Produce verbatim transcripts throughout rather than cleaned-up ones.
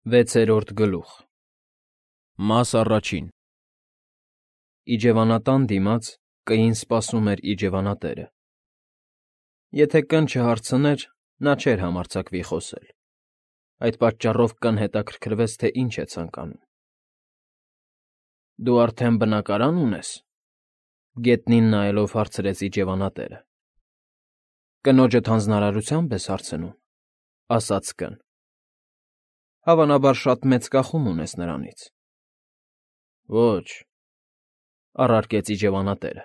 Վեցերորդ գլուխ Մաս առաջին Իջևանատան դիմաց կին սպասում էր իջևանատերը։ Եթե կն չհարցներ, նա չէր համարձակվի խոսել, այդ պատճառով կն հետաքրքրվեց, թե ինչ է ցանկանում։ ֊ Դու արդեն բնակարա՞ն ունես,֊ գետնին նայելով հարցրեց իջևանատերը։ ֊ Կնոջդ հանձնարարությա՞նբ ես հարցնում,֊ ասաց կն։ ֊ Հավանաբար շատ մեծ կախում ունես նրանից։ ֊ Ոչ,֊ առարկեց իջևանատերը,֊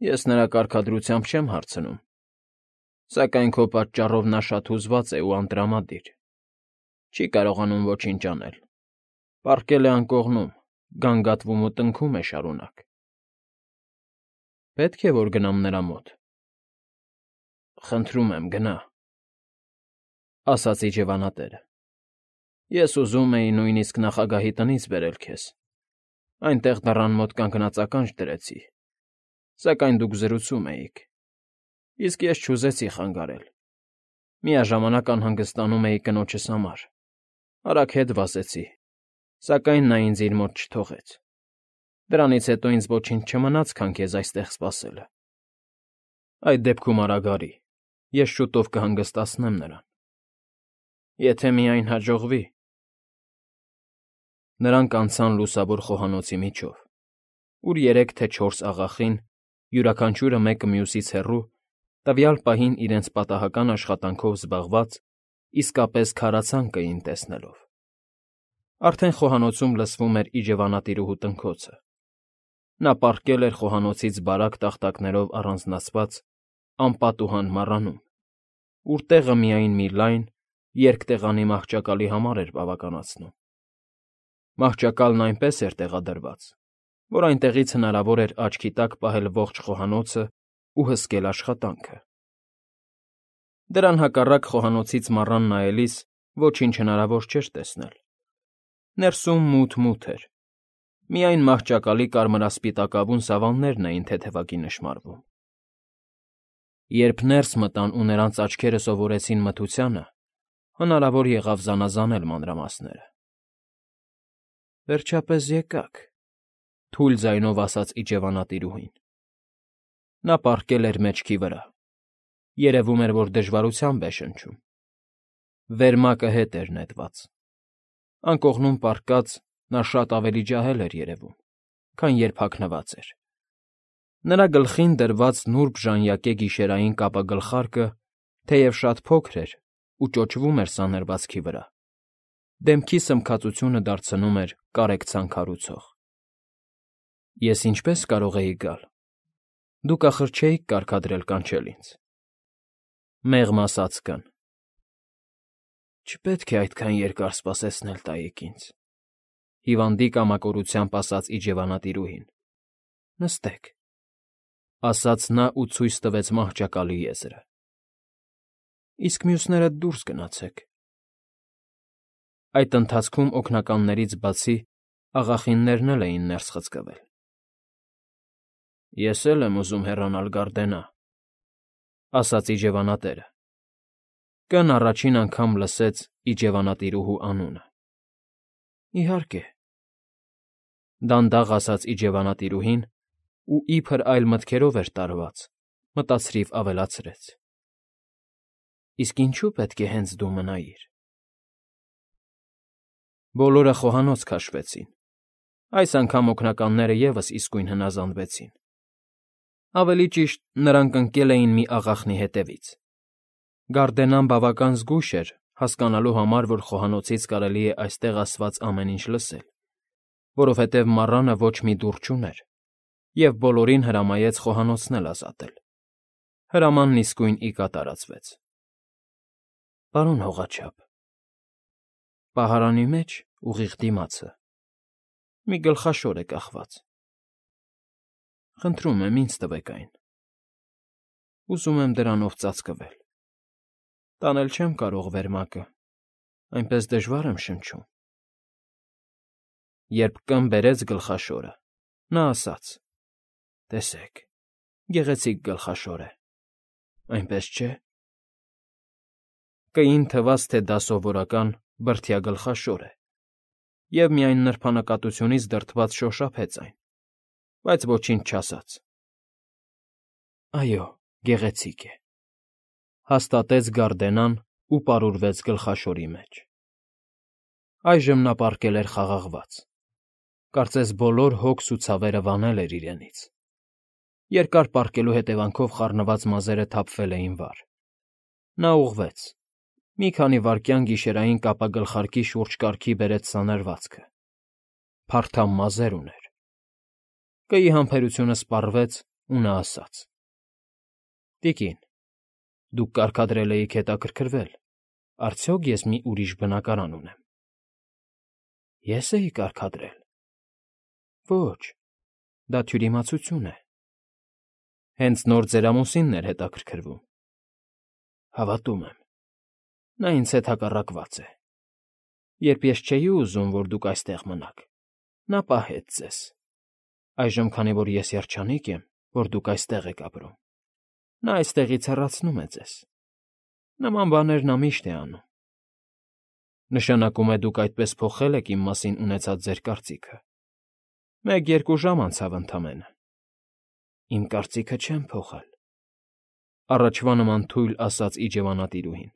ես նրա կարգադրությամբ չեմ հարցնում, սակայն քո պատճառով նա շատ հուզված է ու անտրամադիր, չի կարողանում ոչինչ անել, պառկել է անկողնում, գանգատվում ու տնքում է շարունակ։ ֊ Պետք է որ գնամ նրա մոտ։ ֊ Խնդրում եմ, գնա,֊ ասաց իջևանատերը։ Ես ուզում էի նույնիսկ նախագահի տնից բերել քեզ, այնտեղ դռան մոտ կանգնած ականջ դրեցի, սակայն դուք զրուցում էիք, իսկ ես չուզեցի խանգարել, միաժամանակ անհանգստանում էի կնոջս համար, արագ հետ վազեցի, սակայն նա ինձ իր մոտ չթողեց, դրանից հետո ինձ ոչինչ չմնաց, քան քեզ այստեղ սպասելը։ Այդ դեպքում արագ արի, ես շուտով կհանգստացնեմ նրան, եթե միայն հաջողվի։ Նրանք անցան լուսավոր խոհանոցի միջով, ուր երեք թե չորս աղախին, յուրաքանչյուրը մեկը մյուսից հեռու, տվյալ պահին իրենց պատահական աշխատանքով զբաղված, իսկապես քարացան կային տեսնելով։ Արդեն խոհանոցում լսվում էր իջևանատիրուհու տնքոցը։ Նա պառկել էր խոհանոցից բարակ տախտակներով առանձնացված անպատուհան մառանում, ուր տեղը միայն մի լայն, երկտեղանի մահճակալի համար էր բավականացնում։ Մահճակալն այնպես էր տեղադրված, որ այնտեղից հնարավոր էր աչքի տակ պահել ողջ խոհանոցն ու հսկել աշխատանքը։ Դրան հակառակ խոհանոցից մառան նայելիս ոչինչ հնարավոր չէր տեսնել։ Ներսում մութ֊մութ էր, միայն մահճակալի կարմրասպիտակավուն սավաններն էին թեթևակի նշմարվում։ Երբ ներս մտան ու նրանց աչքերը սովորեցին մթությանը, հնարավոր եղավ զանազանել մանրամասները։ ֊ Վերջապես եկաք,֊ թույլ ձայնով ասաց իջևանատիրուհին։ Նա պառկել էր մեջքի վրա, երևում էր, որ դժվարությամբ է շնչում։ Վերմակը հետ էր նետված։ Անկողնում պառկած՝ նա շատ ավելի ջահել էր երևում, քան երբ հագնված էր։ Նրա գլխին դրված նուրբ ժանյակե գիշերային կապագլխարկը, թեև շատ փոքր էր ու ճոճվում էր սանրվածքի վրա, դեմքի սմքածությունը դարձնում էր կարեկցանք հարուցող։ ֊ Ես ինչպե՞ս կարող էի գալ։ Դուք ախր չէիք կարգադրել կանչել ինձ,֊ մեղմ ասաց կն։ ֊ Չպետք է այդքան երկար սպասեցնել տայիք ինձ,֊ հիվանդի կամակորությամբ ասաց իջևանատիրուհին։ ֊ Նստեք,֊ ասաց նա ու ցույց տվեց մահճակալի եզրը։ ֊ Իսկ մյուսներդ դուրս գնացեք։ Այդ ընթացքում օգնականներից բացի աղախիններն էլ էին ներս խցկվել։ ֊ Ես էլ եմ ուզում հեռանալ Գարդենա,֊ ասաց իջևանատերը։ Կն առաջին անգամ լսեց իջևանատիրուհու անունը։ ֊ Իհարկե,֊ դանդաղ ասաց իջևանատիրուհին ու, իբր այլ մտքերով էր տարված, մտածրիվ ավելացրեց. Իսկ ինչու՞ պետք է հենց դու մնայիր։ Բոլորը խոհանոց քաշվեցին։ Այս անգամ օգնականները ևս իսկույն հնազանդվեցին։ Ավելի ճիշտ, նրանք ընկել էին մի աղախնի հետևից։ Գարդենան բավական զգույշ էր, հասկանալու համար, որ խոհանոցից կարելի է այստեղ ասված ամեն ինչ լսել, որովհետև մառանը ոչ մի դուռ չուներ, և բոլորին հրամայեց խոհանոցն էլ ազատել։ Հրամանն իսկույն ի կատարածվեց։ ֊ Պարոն հողաչափ, պահարանի մեջ, ուղիղ դիմացը, մի գլխաշոր է կախված։ Խնդրում եմ, ինձ տվեք այն։ Ուզում եմ դրանով ծածկվել։ Տանել չեմ կարող վերմակը, այնպես դժվար եմ շնչում։ Երբ կն բերեց գլխաշորը, նա ասաց. Տեսեք, գեղեցիկ գլխաշոր է, այնպես չէ՞։ Կին թվաց, թե դա սովորական բրդյա գլխաշոր է, և միայն նրբանկատությունից դրդված շոշափեց այն, բայց ոչինչ չասաց։ Այո, գեղեցիկ է, հաստատեց Գարդենան ու պարուրվեց գլխաշորի մեջ։ Այժմ նա պառկել էր խաղաղված, կարծես բոլոր հոգս ու ցավերը վանել էր իրենից։ Երկար պառկելու հետևանքով խառնված մազերը թափվել էին վար։ Նա ուղղվեց, մի քանի վայրկյան գիշերային կապագլխարկի շուրջ կարգի բերեց սանրվածքը, փարթամ մազեր ուներ։ Կըի համբերությունը սպառվեց, ու նա ասաց. «Տիկին, դուք կարգադրել էիք հետաքրքրվել, արդյոք ես մի ուրիշ բնակարան ունեմ»։ Ե՞ս էի կարգադրել։ Ոչ, դա թյուրիմացություն է։ Հենց նոր ձեր ամուսինն էր հետաքրքրվում։ Հավատում եմ, նա ինձ հետ հակառակված է։ Երբ ես չէի ուզում, որ դուք այստեղ մնաք, նա պահեց ձեզ։ Այժմ, քանի որ ես երջանիկ եմ, որ դուք այստեղ եք ապրում, նա այստեղից հեռացնում է ձեզ։ Նման բաներ նա միշտ է անում։ Նշանակում է դուք այդպես փոխել եք իմ մասին ունեցած ձեր կարծիքը։ Մեկ֊երկու ժամ անցավ ընդամենը։ Իմ կարծիքը չեմ փոխել,֊ առաջվա նման թույլ ասաց իջևանատիրուհին։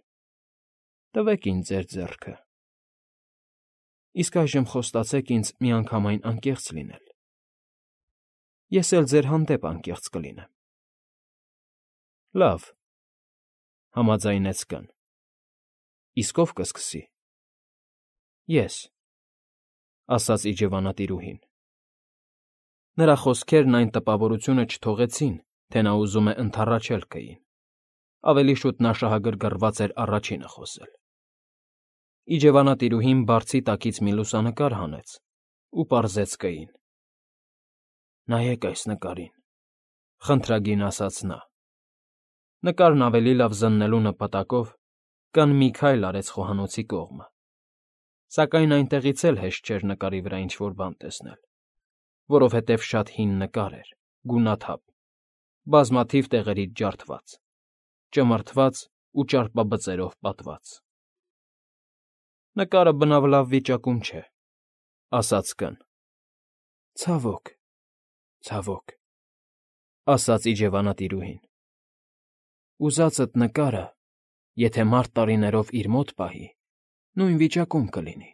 Տվեք ինձ ձեր ձեռքը։ Իսկ այժմ խոստացեք ինձ միանգամայն անկեղծ լինել։ Ես էլ ձեր հանդեպ անկեղծ կլինեմ։ Լավ,֊ համաձայնեց կին։ Իսկ ո՞վ կսկսի։ Ես,֊ ասաց իջևանատիրուհին։ Նրա խոսքերն այն տպավորությունը չթողեցին, թե նա ուզում է ընդառաջել կային։ Ավելի շուտ նա շահագրգռված էր առաջինը խոսել։ Իջևանատիրուհին բարձի տակից մի լուսանկար հանեց ու պարզեց կային։ Նայեք այս նկարին,֊ խնդրագին ասաց նա։ Նկարն ավելի լավ զննելու նպատակով կին մի քայլ արեց խոհանոցի կողմը, սակայն այնտեղից էլ հեշտ չէր նկարի վրա ինչ֊որ բան տեսնել, որովհետև շատ հին նկար էր, գունաթափ, բազմաթիվ տեղերից ջարդված, ճմրթված ու ճարպաբծերով պատված։ Նկարը բնավ լավ վիճակում չէ,֊ ասաց կին։ Ցավոք, ցավոք,֊ ասաց իջևանատիրուհին։ Ուզածդ նկարը, եթե մարդ տարիներով իր մոտ պահի, նույն վիճակում կլինի։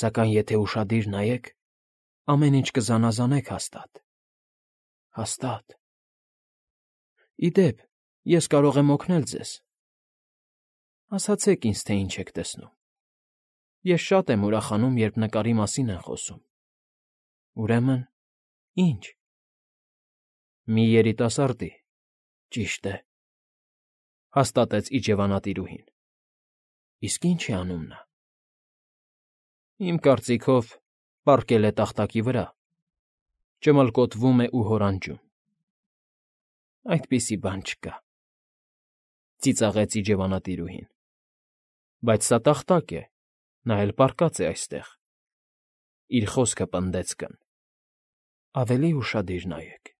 Սակայն եթե ուշադիր նայեք, ամեն ինչ կզանազանեք հաստատ, հաստատ։ Ի դեպ, ես կարող եմ օգնել ձեզ։ Ասացեք ինձ, թե ինչ եք տեսնում։ Ես շատ եմ ուրախանում, երբ նկարի մասին են խոսում։ Ուրեմն, ի՞նչ։ Մի երիտասարդի, ճիշտ է,֊ հաստատեց իջևանատիրուհին։ Իսկ ի՞նչ է անում նա։ Իմ կարծիքով, պառկել է տախտակի վրա, ճմլկոտվում է ու հորանջում։ Այդպիսի բան չկա,֊ ծիծաղեց իջևանատիրուհին։ Բայց սա տախտակ է, նա էլ պառկած է այստեղ,֊ իր խոսքը պնդեց կին։ Ավելի ուշադիր նայեք։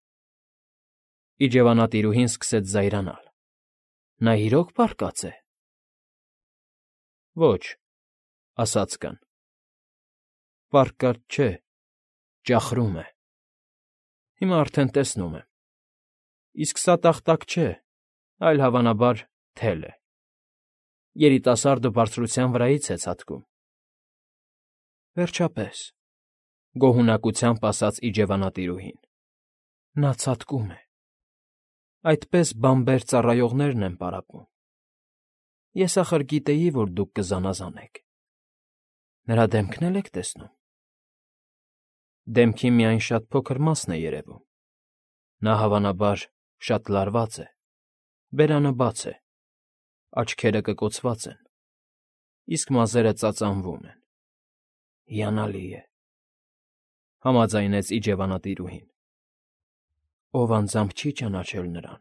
Իջևանատիրուհին սկսեց զայրանալ։ Նա իրո՞ք պառկած է։ Ոչ,֊ ասաց կին։ Պառկած չէ, ճախրում է։ Հիմա արդեն տեսնում եմ։ Իսկ սա տախտակ չէ, այլ, հավանաբար, թել է։ Երիտասարդը բարձրության վրայից է ցատկում։ Վերջապես,֊ գոհունակությամբ ասաց իջևանատիրուհին։ Նա ցատկում է։ Այդպես բանբեր ծառայողներն են պարապում։ Ես ախր գիտեի, որ դուք կզանազանեք։ Նրա դեմքն էլ եք տեսնում։ Դեմքի միայն շատ փոքր մասն է երևում։ Նա, հավանաբար, շատ լարված է, բերանը բաց է, աչքերը կկոցված են, իսկ մազերը ծածանվում են։ Հիանալի է,֊ համաձայնեց իջևանատիրուհին։ Ով անձամբ չի ճանաչել նրան,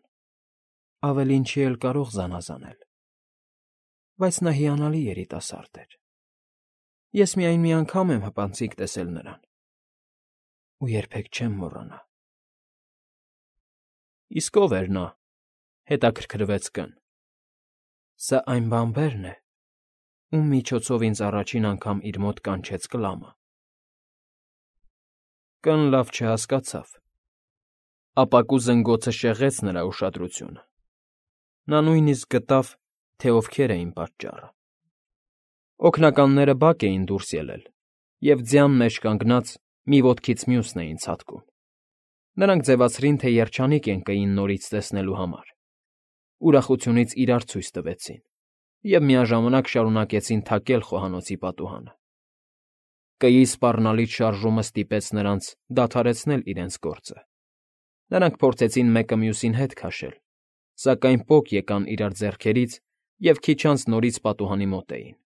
ավելին չի էլ կարող զանազանել։ Բայց նա հիանալի երիտասարդ էր։ Ես միայն մի անգամ եմ հպանցիկ տեսել նրան, ու երբեք չեմ մոռանա։ Իսկ ո՞վ էր նա,֊ հետաքրքրվեց կին։ Սա այն բանբերն է, ում միջոցով ինձ առաջին անգամ իր մոտ կանչեց Կլամը։ Կն լավ չհասկացավ։ Ապակու զնգոցը շեղեց նրա ուշադրությունը։ Նա նույնիսկ գտավ, թե ովքեր էին պատճառը։ Օգնականները բակ էին դուրս ելել և ձյան մեջ կանգնած մի ոտքից մյուսն էին ցատկում։ Նրանք ձևացրին, թե երջանիկ են կային նորից տեսնելու համար։ Ուրախությունից իրար ցույց տվեցին և միաժամանակ շարունակեցին թակել խոհանոցի պատուհանը։ Կեի սպառնալից շարժումը ստիպեց նրանց դադարեցնել իրենց գործը։ Նրանք փորձեցին մեկը մյուսին հետ քաշել, սակայն պոկ եկան իրար ձեռքերից և քիչ անց նորից պատուհանի մոտ էին։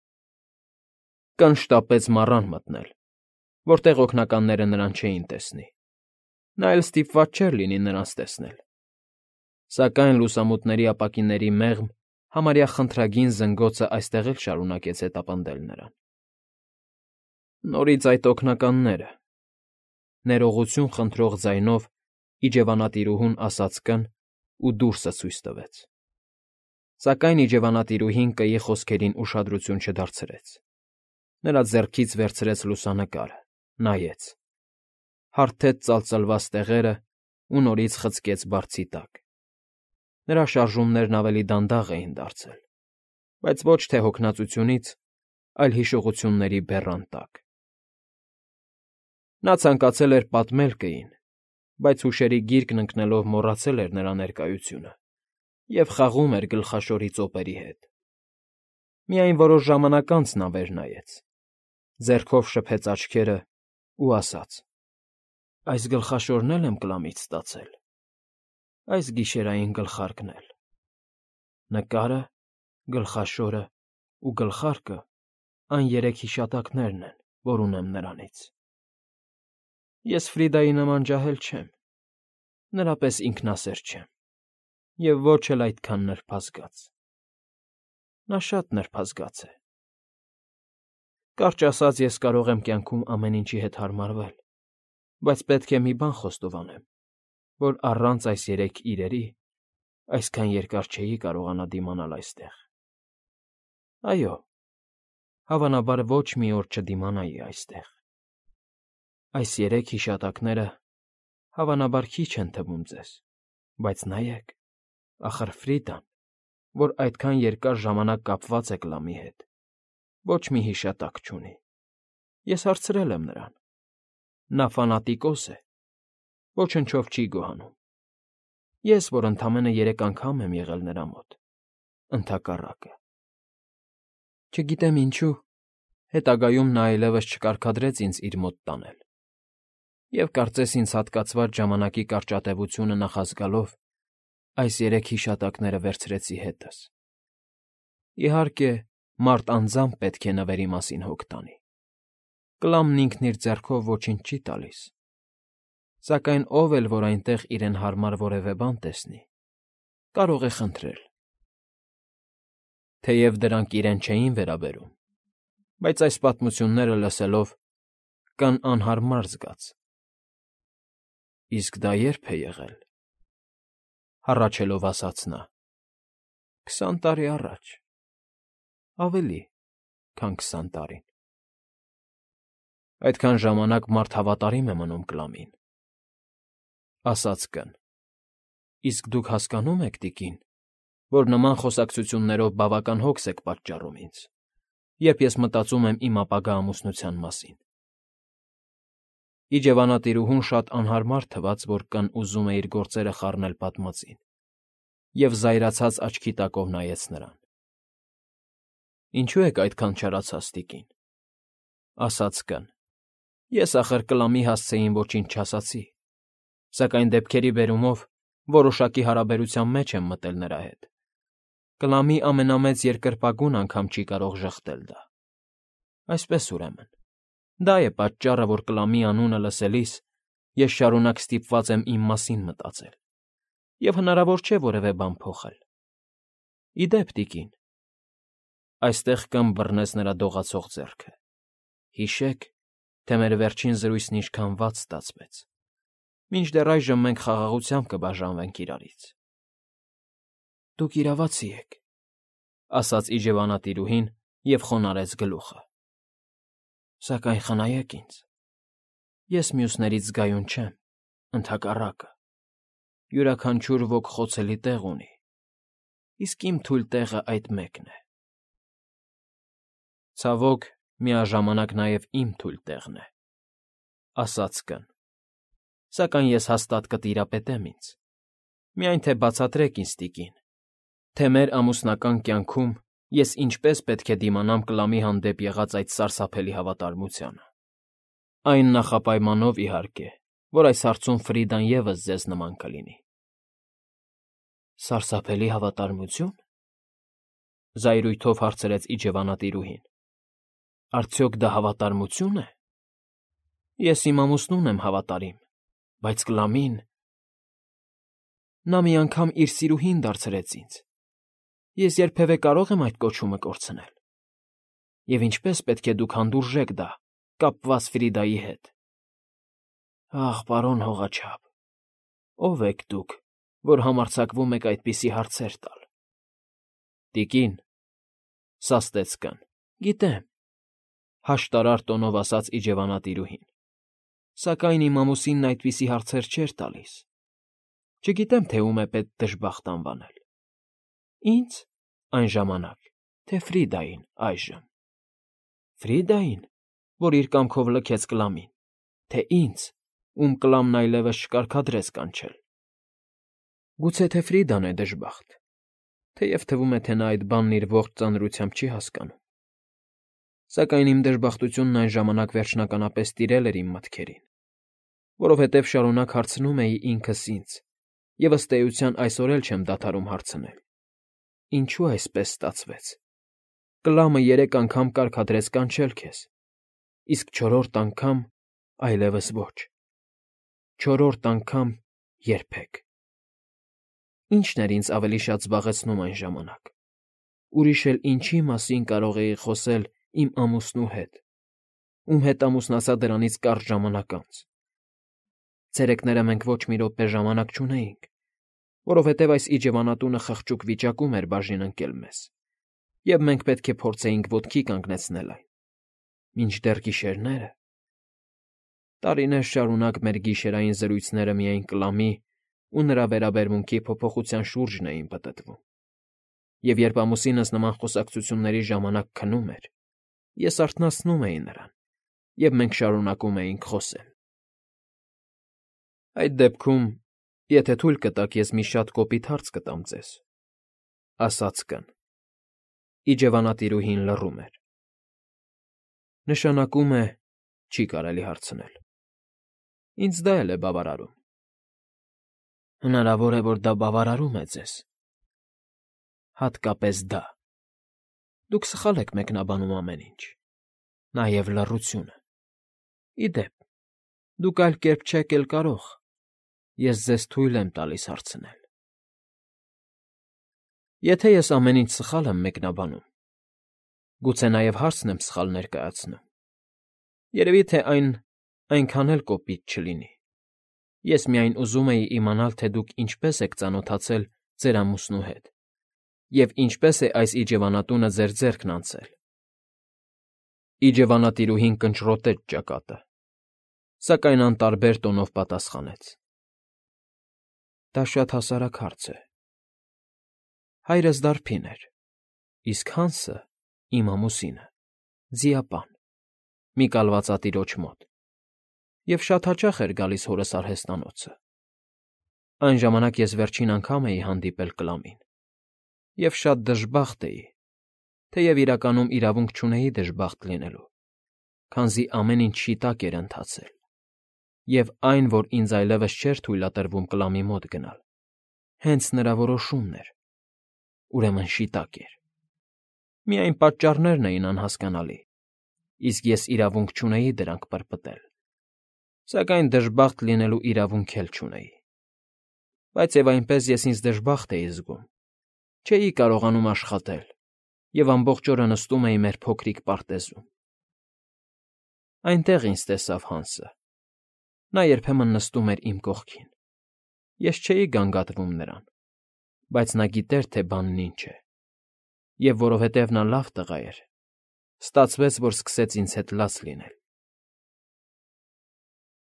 Կն շտապեց մառան մտնել, որտեղ օգնականները նրան չէին տեսնի։ Նա էլ ստիպված չէր լինի նրանց տեսնել։ Սակայն լուսամուտների ապակիների մեղմ, համարյա խնդրագին զնգոցը այստեղ էլ շարունակեց հետապնդել նրան։ Նորից այդ օգնականները…֊ ներողություն խնդրող ձայնով իջևանատիրուհուն ասաց Կն ու դուրսը ցույց տվեց։ Սակայն իջևանատիրուհին Կեի խոսքերին ուշադրություն չդարձրեց։ Նրա ձեռքից վերցրեց լուսանկարը, նայեց, հարթեց ծալծլված տեղերը ու նորից խցկեց բարձի տակ։ Նրա շարժումներն ավելի դանդաղ էին դարձել, բայց ոչ թե հոգնածությունից, այլ հիշողությունների բեռան տակ։ Նա ցանկացել էր պատմել Կեին, բայց հուշերի գիրկն ընկնելով մոռացել էր նրա ներկայությունը և խաղում էր գլխաշորի ծոպերի հետ։ Միայն որոշ ժամանակ անց նա վեր նայեց, ձեռքով շփեց աչքերը ու ասաց. «Այս գլխաշորն էլ եմ Կլամից ստացել, այս գիշերային գլխարկն էլ։ Նկարը, գլխաշորն ու գլխարկը այն երեք հիշատակներն են, որ ունեմ նրանից։ Ես Ֆրիդայի նման ջահել չեմ, նրա պես ինքնասեր չեմ և ոչ էլ այդքան նրբազգաց։ Նա շատ նրբազգաց է։ Կարճ ասած, ես կարող եմ կյանքում ամեն ինչի հետ հարմարվել, բայց պետք է մի բան խոստովանեմ, որ առանց այս երեք իրերի այսքան երկար չէի կարողանա դիմանալ այստեղ։ Այո, հավանաբար ոչ մի օր չդիմանայի այստեղ։ Այս երեք հիշատակները հավանաբար քիչ են թվում ձեզ, բայց նայեք, ախր Ֆրիդան, որ այդքան երկար ժամանակ կապված է Կլամի հետ, ոչ մի հիշատակ չունի։ Ես հարցրել եմ նրան։ Նա ֆանատիկոս է, ոչնչով չի գոհանում։ Ես, որ ընդամենը երեք անգամ եմ եղել նրա մոտ, ընդհակառակը։ Չգիտեմ ինչու, հետագայում նա այլևս չկարգադրեց ինձ իր մոտ տանել, և կարծես ինձ հատկացված ժամանակի կարճատևությունը նախազգալով, այս երեք հիշատակները վերցրեցի հետս։ Իհարկե, մարդ անձամբ պետք է նվերի մասին հոգ տանի։ Կլամն ինքն իր ձեռքով ոչինչ չի տալիս, սակայն ով էլ, որ այնտեղ իրեն հարմար որևէ բան տեսնի, կարող է խնդրել։ Թեև դրանք իրեն չէին վերաբերում, բայց այս պատմությունները լսելով Կն անհարմար զգաց։ Իսկ դա ե՞րբ է եղել,֊ հառաչելով ասաց նա։ Քսան տարի առաջ, ավելի, քան քսան տարին։ Այդքան ժամանակ մարդ հավատարիմ է մնում Կլամին,֊ ասաց Կն։ Իսկ դուք հասկանո՞ւմ եք, տիկին, որ նման խոսակցություններով բավական հոգս եք պատճառում ինձ, երբ ես մտածում եմ իմ ապագա ամուսնության մասին։ Իջևանատիրուհուն շատ անհարմար թվաց, որ Կն ուզում է իր գործերը խառնել պատմածին, և զայրացած աչքի տակով նայեց նրան։ Ինչո՞ւ եք այդքան չարացած, տիկին,֊ ասաց Կն։ Ես, ախր, Կլամի հասցեին ոչինչ չասացի, սակայն դեպքերի բերումով որոշակի հարաբերության մեջ եմ մտել նրա հետ։ Կլամի ամենամեծ երկրպագուն անգամ չի կարող ժխտել դա։ Այսպես, ուրեմն, դա է պատճառը, որ Կլամի անունը լսելիս ես շարունակ ստիպված եմ իմ մասին մտածել, և հնարավոր չէ որևէ բան փոխել։ Ի դեպ, տիկին…֊ այստեղ Կն բռնեց նրա դողացող ձեռքը,֊ հիշեք, թե մեր վերջին զրույցն ինչքան վատ ստացվեց։ Մինչդեռ այժմ մենք խաղաղությամբ կբաժանվենք իրարից։ Դուք իրավացի եք,֊ ասաց իջևանատիրուհին և խոնարհեց գլուխը։ Սակայն խնայեք ինձ, ես մյուսներից զգայուն չեմ, ընդհակառակը, յուրաքանչյուր ոք խոցելի տեղ ունի, իսկ իմ թույլ տեղը այդ մեկն է։ Ցավոք, միաժամանակ նաև իմ թույլ տեղն է, ասաց կն, սակայն ես հաստատ կտիրապետեմ ինձ, միայն թե բացատրեք ինձ, տիկին, թե մեր ամուսնական կյանքում ես ինչպես պետք է դիմանամ Կլամի հանդեպ եղած այդ սարսափելի հավատարմությանը։ Այն նախապայմանով, իհարկե, որ այս հարցում Ֆրիդան ևս ձեզ նման կլինի։ Սարսափելի հավատարմությո՞ւն։ Զայրույթով հարցրեց իջևանատիրուհին։ Արդյոք դա հավատարմությո՞ւն է։ Ես իմ ամուսնուն եմ հավատարիմ, բայց Կլամին… Նա մի անգամ իր սիրուհին դարձրեց ինձ, ես երբևէ կարո՞ղ եմ այդ կոչումը կորցնել։ Եվ ինչպե՞ս պետք է դուք հանդուրժեք դա, կապված Ֆրիդայի հետ։ Ախ, պարոն հողաչափ, ո՞վ եք դուք, որ համարձակվում եք այդպիսի հարցեր տալ։ Տիկին, սաստեց կն, գիտեմ, հաշտարար տոնով ասաց իջևանատիրուհին, սակայն իմ ամուսինն այդպիսի հարցեր չէր տալիս։ Չգիտեմ, թե ում է պետք դժբախտ անվանել։ Ինձ այն ժամանակ, թե Ֆրիդային այժմ։ Ֆրիդային, որ իր կամքով լքեց Կլամին, թե ինձ, ում Կլամն այլևս չկարգադրեց կանչել։ Գուցե թե Ֆրիդան է դժբախտ, թեև թվում է, թե նա այդ բանն իր ողջ ծանրությամբ չի հասկանում։ Սակայն իմ դժբախտությունն այն ժամանակ վերջնականապես տիրել էր իմ մտքերին, որովհետև շարունակ հարցնում էի ինքս ինձ, և ըստ էության այսօր էլ չեմ դադարում հարցնել. ինչու այսպես ստացվեց։ Կլամը երեք անգամ կարգադրեց կանչել քեզ, իսկ չորրորդ անգամ այլևս ոչ։ Չորրորդ անգամ երբեք։ Ինչն էր ինձ ավելի շատ զբաղեցնում այն ժամանակ։ Ուրիշ էլ ինչի մասին կարող էի խոսել իմ ամուսնու հետ, ում հետ ամուսնացա դրանից կարճ ժամանակ անց։ Ցերեկները մենք ոչ մի րոպե ժամանակ չունեինք, որովհետև այս իջևանատունը խղճուկ վիճակում էր բաժին ընկել մեզ, և մենք պետք է փորձեինք ոտքի կանգնեցնել այն, մինչդեռ գիշերները… Տարիներ շարունակ մեր գիշերային զրույցները միայն Կլամի ու նրա վերաբերմունքի փոփոխության շուրջն էին պտտվում, և երբ ամուսինս նման խոսակցությունների ժամանակ քնում էր, ես արթնացնում էի նրան, և մենք շարունակում էինք խոսել։ Այդ դեպքում, եթե թույլ կտաք, ես մի շատ կոպիտ հարց կտամ ձեզ, ասաց կն։ Իջևանատիրուհին լռում էր։ Նշանակում է, չի կարելի հարցնել։ Ինձ դա էլ է բավարարում։ Հնարավոր է, որ դա բավարարում է ձեզ։ Հատկապես դա։ Դուք սխալ եք մեկնաբանում ամեն ինչ, նաև լռությունը։ Ի դեպ, դուք այլ կերպ չեք էլ կարող, ես ձեզ թույլ եմ տալիս հարցնել։ Եթե ես ամեն ինչ սխալ եմ մեկնաբանում, գուցե նաև հարցն եմ սխալ ներկայացնում, երևի թե այն այնքան էլ կոպիտ չլինի։ Ես միայն ուզում էի իմանալ, թե դուք ինչպես եք ծանոթացել ձեր ամուսնու հետ և ինչպես է այս իջևանատունը ձեր ձեռքն անցել։ Իջևանատիրուհին կնճռոտեց ճակատը, սակայն անտարբեր տոնով պատասխանեց. Դա շատ հասարակ հարց է։ Հայրս դարբին էր, իսկ Հանսը, իմ ամուսինը, ձիապան, մի կալվածատիրոջ մոտ, և շատ հաճախ էր գալիս հորս արհեստանոցը։ Այն ժամանակ ես վերջին անգամ էի հանդիպել Կլամին, և շատ դժբախտ էի, թեև իրականում իրավունք չունեի դժբախտ լինելու, քանզի ամեն ինչ շիտակ էր ընթացել, և այն, որ ինձ այլևս չէր թույլատրվում Կլամի մոտ գնալ, հենց նրա որոշումն էր, ուրեմն շիտակ էր։ Միայն պատճառներն էին անհասկանալի, իսկ ես իրավունք չունեի դրանք պրպտել, սակայն դժբախտ լինելու իրավունք էլ չունեի։ Բայց և այնպես ես ինձ դժբախտ էի զգում, չէի կարողանում աշխատել և ամբողջ օրը նստում էի մեր փոքրիկ պարտեզում։ Այնտեղ ինձ տեսավ Հանսը։ Նա երբեմն նստում էր իմ կողքին։ Ես չէի գանգատվում նրան, բայց նա գիտեր, թե բանն ինչ է, և որովհետև նա լավ տղա էր, Ստացվեց, որ սկսեց ինձ հետ լաց լինել։